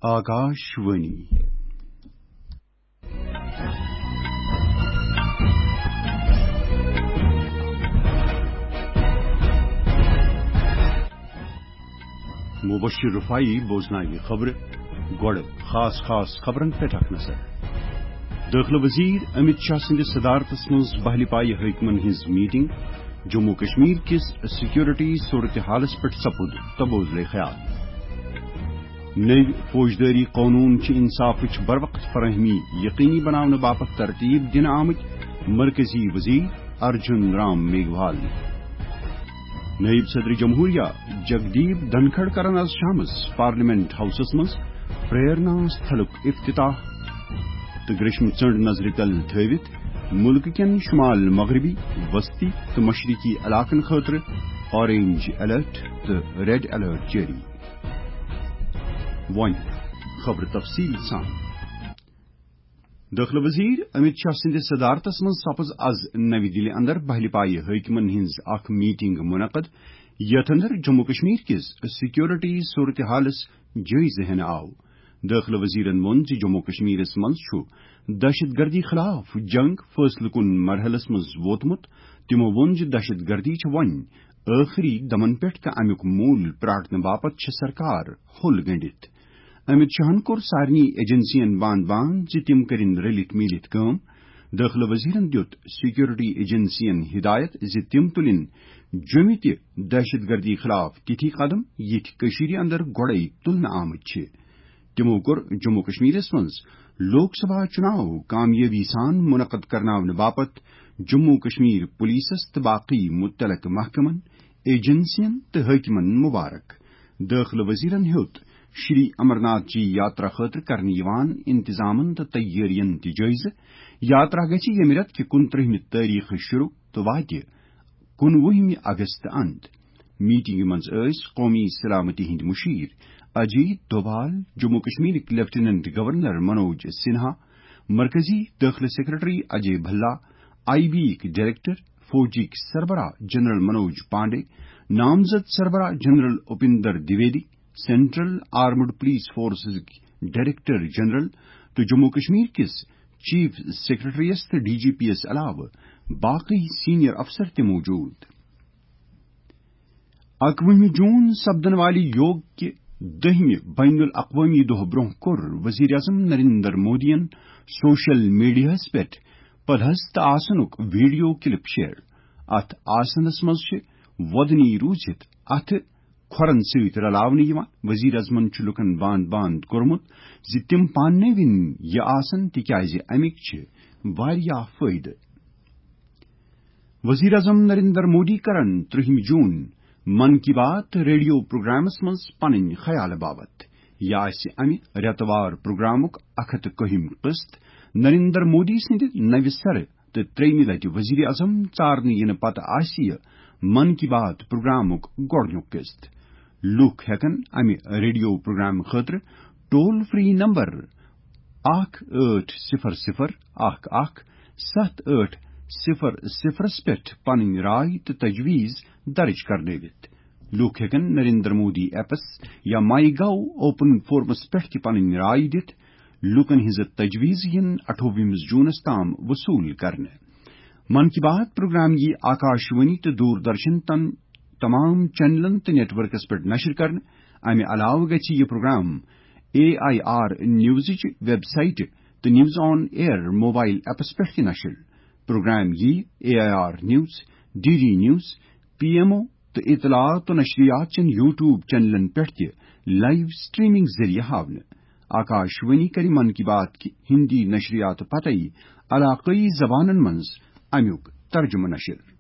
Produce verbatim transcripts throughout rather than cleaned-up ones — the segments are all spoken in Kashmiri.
آکاش وانی۔ مبشر رفاعی بوزناوِ خبرٕ۔ گۄڈٕ خاص خاص خبرن پٮ۪ٹھ اکھ نظر۔ دٲخلہٕ وزیر امیت شاہ سٕنٛدِس صدارتس منٛز بہلہِ پایہِ حٲکمن ہٕنٛز میٹنگ۔ جموں کشمیر کِس سیکورٹی صورتحالس پٮ۪ٹھ سپُد تبادلہ خیال۔ نٔوۍ فوجدٲری قونوٗن چھِ انصافٕچ بروقت فراہمی یقینی بناونہٕ باپتھ ترتیب دِنہٕ آمٕتۍ، مرکزی وزیر ارجن رام میگھوال۔ نائب صدر جمہوریہ جگدیپ دھنکھڑ کرن از شامس پارلیمنٹ ہاؤسس منٛز پریرنا استھلُک افتتاح۔ تہٕ گریشم ژٔنٛڈ نظرِ تل تھٲوِتھ مُلکہٕ کٮ۪ن شمال مغربی، وسطی تہٕ مشرقی علاقن خٲطرٕ اورینج الرٹ تہٕ ریڈ الرٹ جٲری۔ وۄنۍ خبرٕ تفصیل سان۔ دٲخلہٕ وزیر امیت شاہ سٕنٛدِس صدارتس منٛز سپٕز از نَوِ دِلہِ اندر بہلہِ پایہِ حٲکمن ہٕنٛز اکھ میٹنگ منعقد، یتھ اندر جموں کشمیر کِس سیکورٹی صورتحالس جٲیزٕ ہینہٕ آو۔ دٲخلہٕ وزیرن ووٚن زِ جموں کشمیرس منٛز چھُ دہشت گردی خلاف جنگ فٲصلہٕ کُن مرحلس منٛز ووتمُت۔ تِمو ووٚن زِ دہشت گردی چھِ وۄنۍ ٲخری دمن پٮ۪ٹھ تہٕ امیُک موٗل پرٛاٹنہٕ باپتھ چھِ سرکار ہوٚل گٔنٛڈِتھ۔ امیت شاہن کوٚر سارنٕے ایجنسین باند باند زِ تِم کٔرِن رٔلِتھ میٖلِتھ کٲم۔ دٲخلہٕ وزیرن دِیُت سیکورٹی ایجنسین ہدایت زِ تِم تُلِن جوٚمہِ تہِ دہشت گردی خلاف تِتھی قدم، یِتھۍ کٔشیٖرِ اندر گۄڈَے تُلنہٕ آمٕتۍ چھِ۔ تِمو کوٚر جموں کشمیرس منٛز لوک سبھا چُناو کامیٲبی سان منعقد کرناونہٕ باپتھ جموں کشمیر پولیسس تہٕ باقٕے متعلقہٕ محکمن، ایجنسین تہٕ حٲکمن مبارک۔ دٲخلہٕ وزیرن ہیوٚت شری امر ناتھ جی یاترا خٲطرٕ کرنہٕ یِوان انتظامن تہٕ تیٲرین تہِ جٲیزٕ۔ یاترا گژھِ ییٚمہِ رٮ۪تہٕ کہِ کُنترٕہمہِ تٲریخہٕ شروع تہٕ واتہِ کُنوُہمہِ اگست اند۔ میٹنگہِ منٛز ٲسۍ قومی سلامتی ہٕنٛدۍ مشیر اجیت دوبال، جموں کشمیرٕکۍ لیفٹیننٹ گورنر منوج سنہا، مرکزی دٲخلہٕ secretary Ajay Bhalla, I B یِکۍ ڈائریکٹر، فوجٕکۍ سربراہ جنرل منوج پانڈے، نامزد سربراہ general Upendra Dwivedi, central armed police فورسزٕکۍ ڈائریکٹر جنرل تہٕ جموں کشمیر کِس چیف سیکرٹریس تہٕ ڈی جی پی یس علاوٕ باقٕے سینئر افسر تہِ موجود۔ اکوُہمہِ جون سپدن والہِ یوگ کہِ دٔہمہِ بین الاقوامی دۄہ برونٛہہ کوٚر وزیر اعظم نریندر مودیَن سوشل میڈیاہَس پٮ۪ٹھ پدہست آسنُک ویڈیو کلپ شیئر۔ اتھ آسنس منٛز چھِ وۄدنی روٗزِتھ اتھٕ کھۄرن سۭتۍ رلاونہٕ یِوان۔ وزیر اعظمن چھُ لوٗکن باند باند کوٚرمُت زِ تِم پاننٲوِن یہِ آسن، تِکیازِ اَمِکۍ چھِ واریاہ فٲیدٕ۔ وزیر اعظم نریندر مودی کرن ترٛہمہِ جون من کی بات ریڈیو پروگرامس منٛز پنٕنۍ خیال باپتھ۔ یہِ آسہِ امہِ رٮ۪تہٕ وار پروگرامُک اکھ ہتھ تہٕ کٔہِم قسط۔ نریندر مودی سٕنٛدِ نوِ سرٕ تہٕ ترٛیٚیمہِ لٹہِ وزیر اعظم ژارنہٕ یِنہٕ پتہٕ آسہِ یہِ من کی بات پروگرامُک گۄڈٕنیُک قسط۔ لوٗکھ ہٮ۪کن امہِ ریڈیو پروگرام خٲطرٕ ٹول فری نمبر اکھ ٲٹھ صفر صفر اکھ اکھ ستھ ٲٹھ صفر صفرس پٮ۪ٹھ پنٕنۍ راے تہٕ تجویز درج کرنٲوِتھ۔ لوٗکھ ہٮ۪کن نریندر مودی ایپس یا مائی گو اوپن فورمس پٮ۪ٹھ تہِ پنٕنۍ راے دِتھ۔ لوٗکن ہٕنٛزٕ تجویز یِن اَٹھووُہمِس جونس تام وصوٗل کرنہٕ۔ من کی بات پروگرام یی آکاشوانی تہٕ دوردرشن تن تمام چینلن تہٕ نیٹ ورکس پٮ۪ٹھ نشر کرنہٕ۔ امہِ علاوٕ گژھِ یہِ پروگرام اے آئی آر نیوزٕچ ویب سائٹ تہٕ news on air mobile apps پٮ۪ٹھ تہِ نشر۔ پروگرام یی A I R news, D D news, P M O تہٕ اطلاعات و نشریات چٮ۪ن یوٹیوب چینلن پٮ۪ٹھ تہِ لائیو سٹریمنگ ذٔریعہٕ ہاونہٕ۔ آکاشوانی کرِ من کی بات کہِ ہندی نشریات پتے علاقٲیی زبانن منٛز امیُک ترجمہٕ نشر۔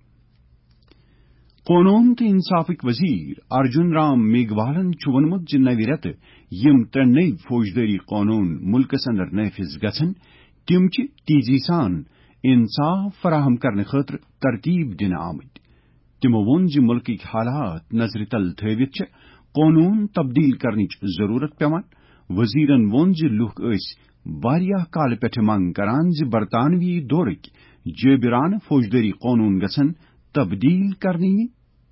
قونوٗن تہٕ انصافٕکۍ وزیر ارجن رام میگھوالن چھُ ووٚنمُت زِ نوِ رٮ۪تہٕ یِم ترٛےٚ نٔوۍ فوجدٲری قونوٗن مُلکس اندر نافذ گژھن، تِم چھِ تیزی سان انصاف فراہم کرنہٕ خٲطرٕ ترتیب دِنہٕ آمٕتۍ۔ تِمو ووٚن زِ مُلکٕکۍ حالات نظرِ تل تھٲوِتھ چھِ قونوٗن تبدیل کرنٕچ ضروٗرت پٮ۪وان۔ وزیرن ووٚن زِ لوٗکھ ٲسۍ واریاہ کالہٕ پٮ۪ٹھٕ منگ کران زِ برطانوی دورٕکۍ جٲبرانہٕ فوجدٲری قونوٗن گژھن تبدیل کرنہٕ یِنۍ،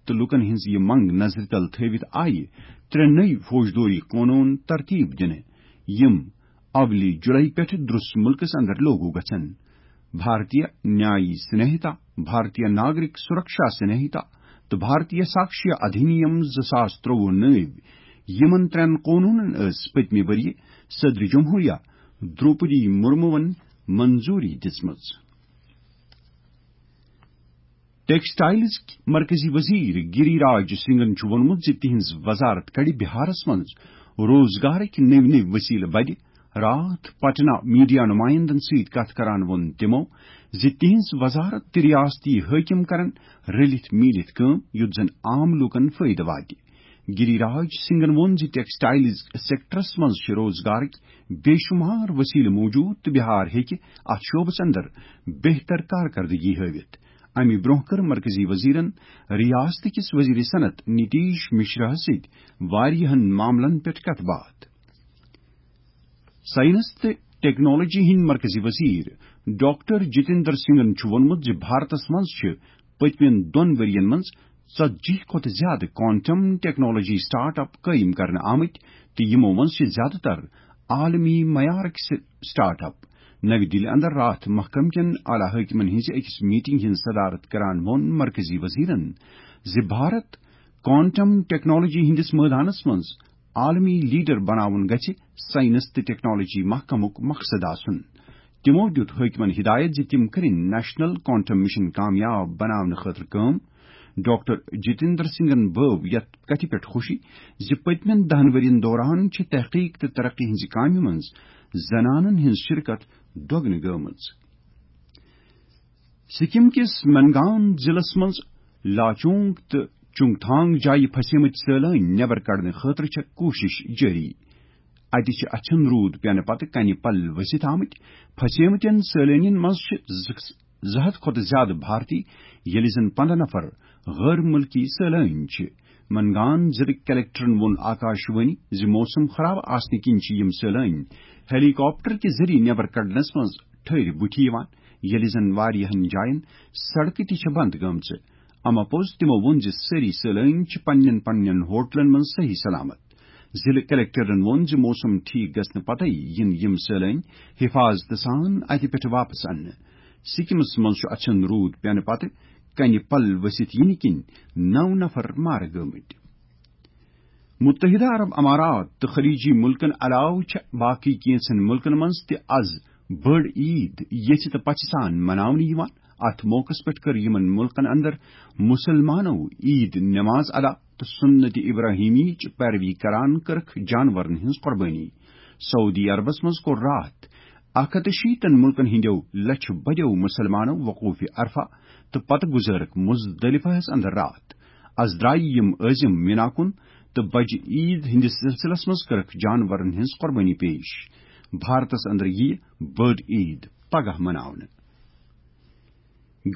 تہٕ لوٗکن ہٕنٛز یہِ منگ نظرِ تل تھٲوِتھ آیہِ ترٛےٚ نٔوۍ فوجدٲری قونوٗن ترتیب دِنہٕ۔ یِم اولی جولائی پٮ۪ٹھٕ درس مُلکس اندر لاگو گژھن۔ بھارتیہ نیایی سنہتا، بھارتیہ ناگرک سرکشا سنہتا تہٕ بھارتیہ ساکشیہ ادھینیم زٕ ساس ترٛۆوُہ نٲوۍ۔ یِمن ترٛٮ۪ن قونوٗنن ٲس پٔتمہِ ؤرۍ یہِ صدر جمہوریہ دروپدی مرموَن منظوٗری دِژمٕژ۔ ٹیکسٹائلز مرکزی وزیر گری راج سنگھن چھُ ووٚنمُت زِ تِہنٛز وزارت کڑِ بہارس منٛز روزگارٕکۍ نٔوۍ نٔوۍ وسیلہٕ بدِ۔ راتھ پٹنہ میڈیا نمائندن سۭتۍ کتھ کران ووٚن تِمو زِ تِہنٛز وزارت تہٕ ریاستی حٲکم کرن رٔلِتھ میٖلِتھ کٲم، یُتھ زن عام لوٗکن فٲیدٕ واتہِ۔ گری راج سنگھن ووٚن زِ ٹیکسٹائلز سیکٹرس منٛز چھِ روزگارٕکۍ بے شمار وسیلہٕ موجود تہٕ بہار ہیٚکہِ اتھ شعبس اندر بہتر کارکردگی ہٲوِتھ۔ امہِ برونٛہہ کٔر مرکزی وزیرن ریاست کِس وزیر صنعت نتیش مشرا ہَس سۭتۍ واریاہن معاملن پٮ۪ٹھ کتھ باتھ۔ سائنس تہٕ ٹیکنالوجی ہٕنٛدۍ مرکزی وزیر ڈاکٹر جتیندر سنگھن چھُ ووٚنمُت زِ بھارتس منٛز چھِ پٔتمٮ۪ن دۄن ؤرۍ یَن منٛز ژتجی کھۄتہٕ زیادٕ کوانٹم ٹیکنالوجی سٹارٹ اپ قٲیِم کرنہٕ آمٕتۍ تہٕ یِمو منٛز چھِ زیادٕ تر عالمی معیارٕکۍ س-، سٹارٹ اپ۔ نَوِ دِلہِ اندر راتھ محکمہٕ کٮ۪ن اعلیٰ حٲکمن ہٕنٛزِ أکِس میٹنگ ہٕنٛز صدارت کران ووٚن مرکزی وزیرن زِ بھارت کوانٹم ٹیکنالوجی ہٕنٛدِس مٲدانس منٛز عالمی لیڈر بناوُن گژھِ سائنس تہٕ ٹیکنالوجی محکمُک مقصد آسُن۔ تِمو دیُت حٲکمن ہدایت زِ تِم کٔرِن نیشنل کوانٹم مشن کامیاب بناونہٕ خٲطرٕ کٲم۔ ڈاکٹر جتیندر سنگھن بٲو یتھ کتھِ پٮ۪ٹھ خوشی زِ پٔتمٮ۪ن دَہَن ؤرین دوران چھِ تحقیق تہٕ ترقی ہٕنٛزِ کامہِ منٛز زنانن ہٕنٛز شرکت دۄگنہٕ گٔمٕژ۔ سکم کِس منگان ضلعس منٛز لاچونگ تہٕ چنگتھانگ جایہِ پھسیمٕتۍ سٲلٲنۍ نٮ۪بر کڑنہٕ خٲطرٕ چھےٚ کوٗشش جٲری۔ اتہِ چھِ اچھن روٗد پینہٕ پتہٕ کنہِ پل ؤسِتھ آمٕتۍ۔ پھسیمٕتٮ۪ن سٲلٲنین منٛز چھِ زٕ، زٕ ہتھ کھۄتہٕ زیادٕ بھارتی، ییٚلہِ زن پنٛداہ نفر غٲر مُلکی سٲلٲنۍ چھِ۔ منگان ضلعٕکۍ کلکٹرن ووٚن آکاش وانی زِ موسم خراب آسنہٕ کِنۍ چھِ یِم سٲلٲنۍ ہیلی کاپٹر کہِ ذٔریعہٕ نٮ۪بر کڑنس منٛز ٹھٔہرِ بُتھِ یِوان، ییٚلہِ زن واریاہن جاین سڑکہٕ تہِ چھےٚ بند گٔمژٕ۔ اما پوٚز تِمو ووٚن زِ سٲری سٲلٲنۍ چھِ پننٮ۪ن پننٮ۪ن ہوٹلن منٛز صحیح سلامت۔ ضلعہٕ کلکٹرن ووٚن زِ موسم ٹھیک گژھنہٕ پتَے یِن یِم سٲلٲنۍ حفاظتہٕ سان اتہِ پٮ۪ٹھ واپس اننہٕ۔ سکمس منٛز چھُ اچھن روٗد پینہٕ پتہٕ کنہِ پل ؤسِتھ یِنہٕ کِنۍ نَو نفر مارٕ گٲمٕتۍ۔ متحدہ عرب امارات تہٕ خلیجی مُلکن علاوٕ چھےٚ باقٕے کینٛژن مُلکن منٛز تہِ از بٔڑ عیٖد یژھِ تہٕ پژھِ سان مناونہٕ یِوان۔ اتھ موقعس پٮ۪ٹھ کٔر یِمن مُلکن اندر مُسلمانو عیٖد نماز ادا تہٕ سنت ابراہیمیچ پیروی کران کٔرٕکھ جانورن ہٕنٛز قۄربٲنی۔ سعودی عربس منٛز کوٚر راتھ اکھ ہتھ تہٕ شیٖتن مُلکن ہٕنٛدیو لچھِ بٔدیو مُسلمانو وقوف عرفہ تہٕ پتہٕ گُزٲرٕکھ مزدلفہس اندر راتھ۔ از درایہِ یِم عٲزِم مینا کُن تہٕ بجہِ عیٖد ہٕنٛدِس سلسلس منٛز کٔرٕکھ جانورن ہٕنٛز قۄربٲنی پیش۔ بھارتس اندر یِیہِ بٔڑ عیٖد پگاہ مناونہٕ۔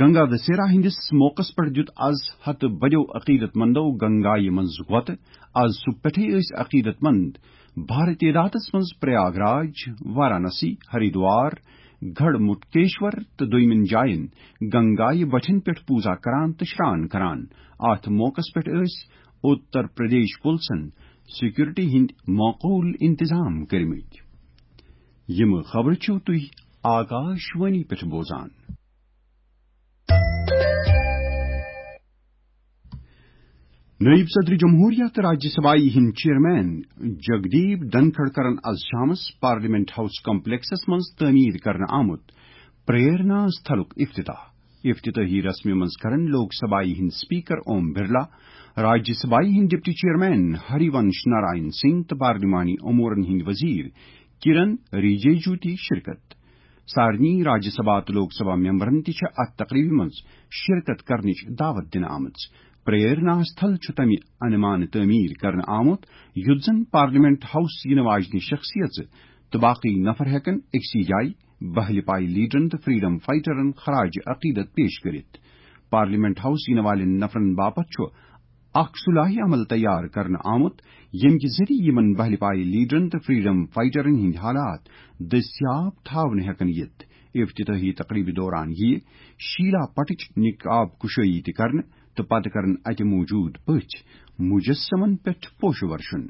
گنگا دسہرہ ہٕنٛدِس موقعس پٮ۪ٹھ دیُت از ہتہٕ بٔدیو عقیدت مندو گنگایہِ منٛز غۄطہٕ۔ از صبح پٮ۪ٹھٕے ٲسۍ عقیدت مند بھارِ تعدادس منٛز پریاگ راج، وارانسی، ہریدوار، گڑھ مٹکیشور تہٕ دوٚیمٮ۪ن جاین گنگایہِ بٹھٮ۪ن پٮ۪ٹھ پوٗزا کران تہٕ شران کران۔ اتھ موقعس پٮ۪ٹھ ٲسۍ اُتر پردیش پُلسن سیکورٹی ہٕنٛدۍ معقول انتظام کٔرمٕتۍ۔ یِم خبرٕ چھِو تُہۍ آکاش وانی پٮ۪ٹھ بوزان۔ نٲیِب صدر جمہوریہ تہٕ راجیہ سبھایہِ ہٕنٛدۍ چیئرمین جگدیپ دھنکھڑ کرن از شامس پارلیمنٹ ہاؤس کمپلیکسس منٛز تعمیٖر کرنہٕ آمُت پریرنا استھلُک افتتاح۔ افتتاحی رسمہِ منٛز کرن لوک سبھایہِ ہٕنٛدۍ اسپیکر اوم برلا، راجیہ سبھایہِ ہٕنٛدۍ ڈپٹی چیئرمین ہری ونش نارائن سنگھ تہٕ پارلیمانی امورن ہٕنٛدۍ وزیر کرن رجیجو تہِ شرکت۔ سارنٕے راجیہ سبھا تہٕ لوک سبھا ممبرن تہِ چھےٚ اتھ تقریبہِ منٛز شرکت کرنٕچ دعوت دِنہٕ آمٕژ۔ پریرنا استھل چھُ تمہِ انمان تعمیٖر کرنہٕ آمُت، یُتھ زن پارلیمنٹ ہاؤس یِنہٕ واجنہِ شخصیژٕ تہٕ باقٕے نفر ہٮ۪کن أکسٕے جایہِ بہلہِ پایہِ لیڈرن تہٕ فریڈم فائٹرن خراج عقیدت پیش کٔرِتھ۔ پارلیمنٹ ہاؤس یِنہٕ والٮ۪ن نفرن باپتھ چھُ اکھ سُلحہِ عمل تیار کرنہٕ آمُت، ییٚمہِ کہِ ذٔریعہٕ یِمن بہلہِ پایہِ لیڈرن تہٕ فریڈم فائٹرن ہٕنٛدۍ حالات دٔستیاب تھاونہٕ ہٮ۪کن یِتھ۔ افتتاحی تقریبہِ دوران یِیہِ شیلا پٹٕچ نقاب کشٲیی تہِ کرنہٕ تہٕ پتہٕ کرن اتہِ موجود پٔژھۍ مجسمن پٮ۪ٹھ پوشہٕ ورشن۔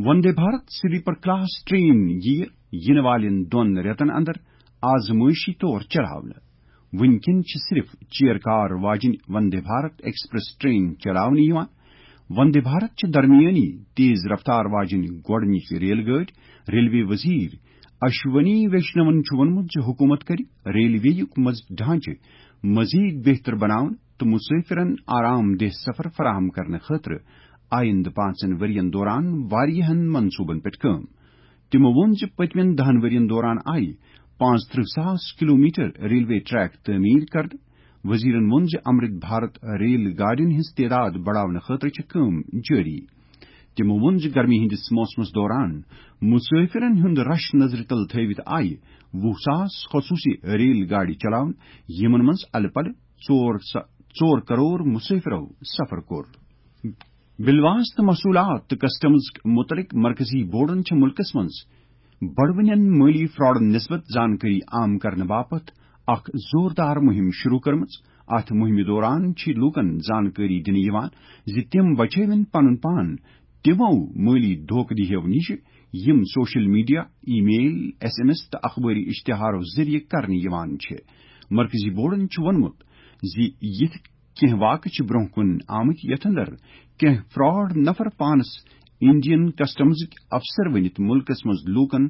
Vande Bharat sleeper class train ییہِ یِنہٕ والٮ۪ن دۄن رٮ۪تن اندر آزمٲیشی طور چلاونہٕ۔ وٕنکٮ۪ن چھِ صرف چیئر کار واجنۍ وندے بھارت ایکسپریس ٹرین چلاونہٕ یِوان۔ وندے بھارت چھِ درمیٲنی تیز رفتار واجنۍ گۄڈٕنِچ ریل گٲڑۍ۔ ریلوے وزیر اشونی ویشنون چھُ ووٚنمُت زِ حکوٗمت کرِ ریلوے یُک مز-، ڈھانچہٕ مزید بہتر بناوُن تہٕ مسافرن آرام دہ سفر فراہم کرنہٕ خٲطرٕ آئندٕ پانٛژن ؤرین دوران واریاہن منصوبن پٮ۪ٹھ کٲم۔ تِمو ووٚن زِ پٔتمٮ۪ن دَہن ؤرین دوران آیہِ پانٛژترٕہ ساس کلومیٹر ریلوے ٹریک تعمیٖر کرنہٕ۔ وزیرن ووٚن زِ امرت بھارت ریل گاڑین ہٕنٛز تعداد بڑاونہٕ خٲطرٕ چھِ کٲم جٲری۔ تِمو ووٚن زِ گرمی ہٕنٛدِس موسمس دوران مسافرن ہُنٛد رش نظرِ تل تھٲوِتھ آیہِ وُہ ساس خصوٗصی ریل گاڑِ چلاونہٕ، یِمن منٛز الہٕ پلہٕ ژور سا-، ژور کرور مسافرو سفر کوٚر۔ بلواس تہٕ محصولات تہٕ کسٹمز متعلق مرکزی بورڈن چھِ مُلکس منٛز بڑوٕنٮ۪ن مٲلی فراڈن نسبت زانکٲری عام کرنہٕ باپتھ اکھ زوردار مُہِم شروع کٔرمٕژ۔ اتھ مُہِمہِ دوران چھِ لوٗکن زانکٲری دِنہٕ یِوان زِ تِم بچٲوِن پنُن پان تِمو مٲلی دھوکہٕ دِہو نِش، یِم سوشل میڈیا، ای میل، ایس ایم ایس تہٕ اخبٲری اشتہارو ذٔریعہٕ کرنہٕ یِوان چھِ۔ مرکزی بورڈن چھُ ووٚنمُت زِ یِتھ کینٛہہ واقعہٕ چھِ برٛونٛہہ کُن آمٕتۍ، یَتھ اندر کینٛہہ فراڈ نفر پانس انڈین کسٹمزٕکۍ افسر ؤنِتھ مُلکس منٛز لوٗکن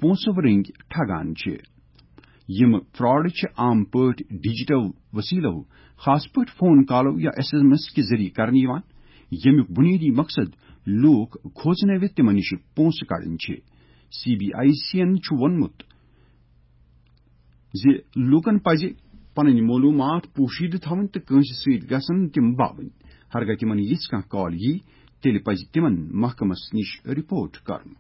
پونٛسہٕ رٔنگۍ ٹھگان چھِ۔ یِم فراڈ چھِ عام پٲٹھۍ ڈیجیٹل وسیلو، خاص پٲٹھۍ فون کالو یا ایس ایم ایس کہِ ذٔریعہٕ کرنہٕ یِوان، ییٚمیُک بُنیٲدی مقصد لوٗکھ کھوژنٲوِتھ تِمن نِش پونٛسہٕ کڑٕنۍ چھِ۔ سی بی آئی سی یَن چھُ ووٚنمُت زِ لوٗکن پزِ پنٕنۍ معلوٗمات پوشیدٕ تھاوٕنۍ تہٕ کٲنٛسہِ سۭتۍ گژھن تِم باوٕنۍ۔ ہرگاہ تِمن یِژھ کانٛہہ کال یی، تیٚلہِ پزِ تِمن محکمس نِش رپورٹ کرُن۔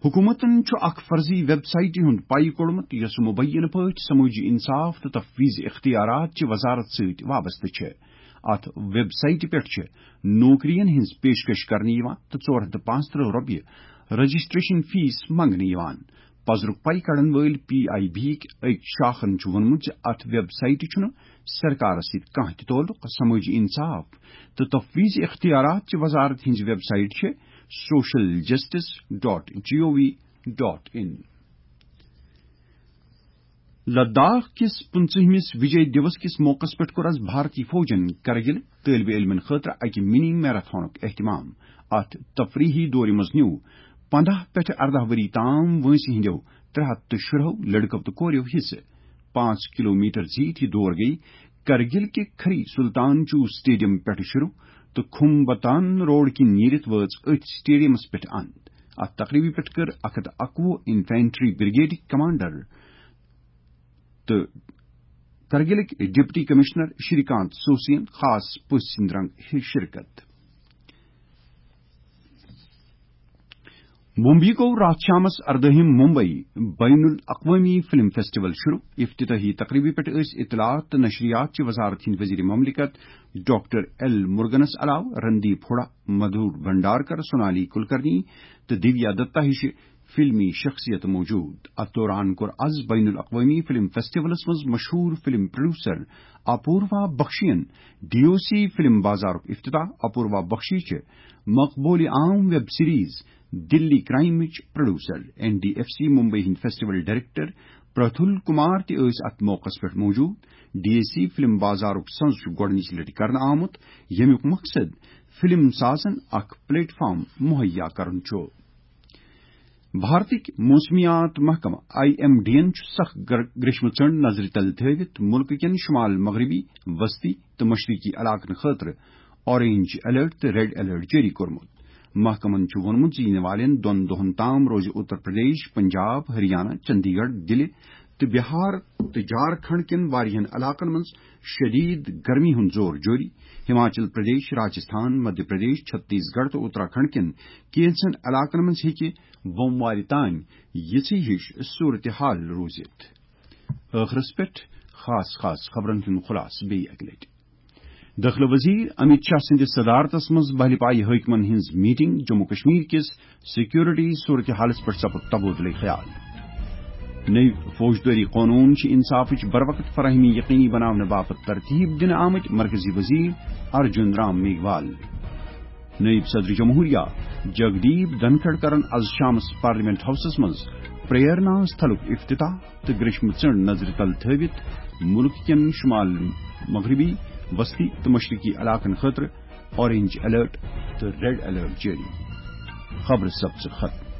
حکومتن چھُ اکھ فرضی ویب سائٹہِ ہُنٛد پَے کوٚڑمُت، یۄس مبینہ پٲٹھۍ سمٲجی انصاف تہٕ تفویض اختیارات چہِ وزارت سۭتۍ وابستہٕ چھےٚ۔ اتھ ویب سائٹہِ پٮ۪ٹھ چھِ نوکرین ہٕنٛز پیشکش کرنہٕ یِوان تہٕ ژور ہتھ تہٕ پانٛژترٕہ رۄپیہِ رجسٹریشن فیس منٛگنہٕ یِوان۔ پزرُک پَے کڑن وٲلۍ پی آئی بی یِکۍ أکۍ شاخن چھُ ووٚنمُت زِ اتھ ویب سائٹہِ چھُنہٕ سرکارس سۭتۍ کانٛہہ تہِ تعلق۔ سمٲجی انصاف تہٕ تفویض اختیارات چہِ وزارت ہٕنٛز ویب سائٹ چھِ social justice dot G O V dot in. Ladakh کِس پٕنٛژٕہمِس وجے دیوس کِس موقعس پٮ۪ٹھ کوٚر از بھارتی فوجن کرگِل طٲلبہِ علمن خٲطرٕ اکہِ منی میراتھنُک اہتمام۔ اتھ تفریحی دورِ منٛز نیوٗ پنداہ پٮ۪ٹھٕ ارداہ ؤری تام وٲنٛسہِ ہٕنٛدیو ترٛےٚ ہتھ تہٕ شُراہو لڑکو تہٕ کوریو حصہٕ۔ پانٛژھ کلومیٹر زیٖٹھ یہِ دور گٔیہِ کرگِل کہِ کھری سلطان چو سٹیڈیم پٮ۪ٹھٕ شروع تہٕ کھمبتان روڈ کِنۍ نیٖرِتھ وٲژ أتھۍ سٹیڈیمس پٮ۪ٹھ اند۔ اتھ تقریبہِ پٮ۪ٹھ کٔر اکھ ہتھ اکوُہ انفینٹری بریگیڈٕکۍ کمانڈر تہٕ کرگلٕکۍ ڈپٹی کمشنر شری کانت سوسین خاص پٔژھۍ سٕنٛدِ رنگہٕ شرکت۔ ممبئی گوٚو راتھ شامس اردٲہِم ممبئی بین الاقوامی فلم فیسٹیول شروع۔ افتتاحی تقریبہِ پٮ۪ٹھ ٲسۍ اطلاعات تہٕ نشریات چہِ وزارت ہٕنٛدۍ وزیر مملکت ڈاکٹر ایل مرگنس علاوٕ رندیپ ہُڈا، مدھور بھنڈارکر، سونالی کلکرنی تہٕ دیویا دتا ہِشہِ فلمی شخصیت موجود۔ اتھ دوران کوٚر از بین الاقوامی فلم فیسٹیولس منٛز مشہوٗر فلم پروڈیوسر اپوروا بخشین ڈی او سی فلم بازارُک افتتاح۔ اپوروا بخشی چھِ مقبول عام ویب سیریز دلی کرائمٕچ producer. N D F C Mumbai ہٕنٛدۍ فیسٹیول ڈائریکٹر پرتھل کمار تہِ ٲسۍ اتھ موقعس پٮ۪ٹھ موجود۔ ڈی ایس سی فلم بازارُک سنز چھُ گۄڈٕنِچ لٹہِ کرنہٕ آمُت، ییٚمیُک مقصد فلم سازن اکھ پلیٹ فارم مہیا کرُن چھُ۔ بھارتٕکۍ موسمیات محکمہٕ آئی ایم ڈی یَن چھُ سخ گر-، گریشمہٕ ژٔنڈ نظرِ تل تھٲوِتھ مُلکہٕ کٮ۪ن شمال مغربی، وسطی تہٕ مشرقی علاقن خٲطرٕ اورنج الرٹ تہٕ ریڈ الرٹ جٲری کوٚرمُت۔ محکمَن چھُ ووٚنمُت زِ یِنہٕ والٮ۪ن دۄن دۄہَن تام روزِ اتر پردیش، پنجاب، ہریانہ، چندی گڑھ، دِلہِ تہٕ بہار تہٕ جھارکھنڈ کٮ۪ن واریاہَن علاقَن منٛز شدید گرمی ہُنٛد زور جٲری۔ ہماچل پردیش، راجستھان، مدھیہ پردیش، چھتیس گڑھ تہٕ اتراکھنڈ کٮ۪ن کینٛژن علاقَن منٛز ہیٚکہِ بۄموارِ تام یِژھٕے ہِش صورتحال روٗزِتھ۔ ٲخرس پٮ۪ٹھ خاص خاص خبرن ہُنٛد خلاصہٕ بیٚیہِ اَکہِ لٹہِ۔ دٲخلہٕ وزیر امیت شاہ سٕنٛدِس صدارتس منٛز بہلہِ پایہِ حٲکمن ہٕنٛز میٹنگ۔ جموں کشمیر کِس سیکورٹی صورتحالس پٮ۪ٹھ سپُد تبادلہٕ خیال۔ نٔوۍ فوجدٲری قونوٗن چھِ انصافٕچ بروقت فراہمی یقینی بناونہٕ باپتھ ترتیب دِنہٕ آمٕتۍ، مرکزی وزیر ارجن رام میگھوال۔ نائب صدر جمہوریہ جگدیپ دھنکھڑ کرن از شامس پارلیمنٹ ہاؤسس منٛز پریرنا استھلُک افتتاح تہٕ گریشمہٕ ژٔنٛڈ نظرِ تل تھٲوِتھ مُلک کٮ۪ن شمال مغربی، وسطی تہٕ مشرقی علاقن خٲطرٕ اورنج الرٹ تہٕ ریڈ الرٹ جٲری۔ خبرٕ سپژٕ ختم۔